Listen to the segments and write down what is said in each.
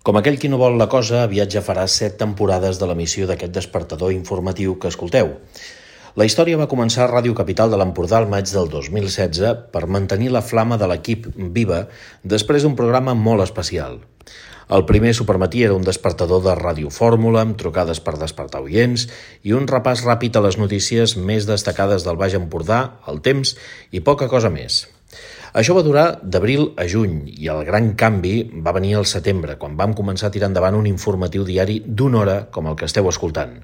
Com aquell qui no vol la cosa, aviat ja farà 7 temporades de l'emissió d'aquest despertador informatiu que escolteu. La història va començar a Ràdio Capital de l'Empordà al maig del 2016 per mantenir la flama de l'equip viva després d'un programa molt especial. El primer Supermatí era un despertador de radiofórmula amb trucades per despertar oients i un repàs ràpid a les notícies més destacades del Baix Empordà, el temps i poca cosa més. Això va durar d'abril a juny i el gran canvi va venir al setembre, quan vam començar a tirar endavant un informatiu diari d'1 hora com el que esteu escoltant.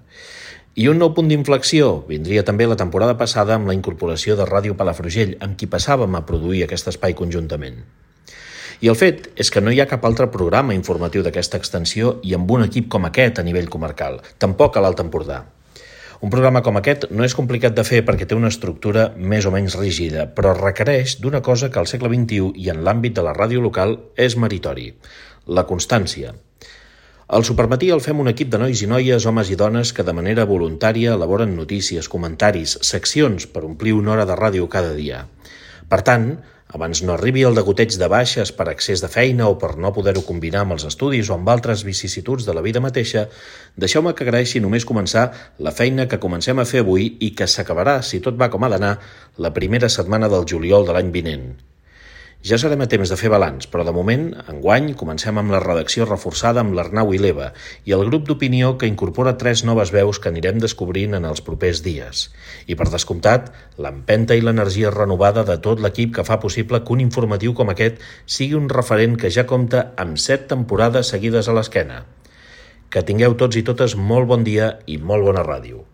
I un nou punt d'inflexió vindria també la temporada passada amb la incorporació de Ràdio Palafrugell, amb qui passàvem a produir aquest espai conjuntament. I el fet és que no hi ha cap altre programa informatiu d'aquesta extensió i amb un equip com aquest a nivell comarcal, tampoc a l'Alt Empordà. Un programa com aquest no és complicat de fer perquè té una estructura més o menys rígida, però requereix d'una cosa que al segle XXI i en l'àmbit de la ràdio local és meritori, la constància. Al Supermatí el fem un equip de nois i noies, homes i dones que de manera voluntària elaboren notícies, comentaris, seccions per omplir 1 hora de ràdio cada dia. Per tant, abans no arribi el degoteig de baixes per excés de feina o per no poder-ho combinar amb els estudis o amb altres vicissituds de la vida mateixa, deixeu-me que agraeixi només començar la feina que comencem a fer avui i que s'acabarà, si tot va com ha d'anar, la primera setmana del juliol de l'any vinent. Ja serem a temps de fer balanç, però de moment, enguany, comencem amb la redacció reforçada amb l'Arnau i l'Eva i el grup d'opinió que incorpora 3 noves veus que anirem descobrint en els propers dies. I per descomptat, l'empenta i l'energia renovada de tot l'equip que fa possible que un informatiu com aquest sigui un referent que ja compta amb 7 temporades seguides a l'esquena. Que tingueu tots i totes molt bon dia i molt bona ràdio.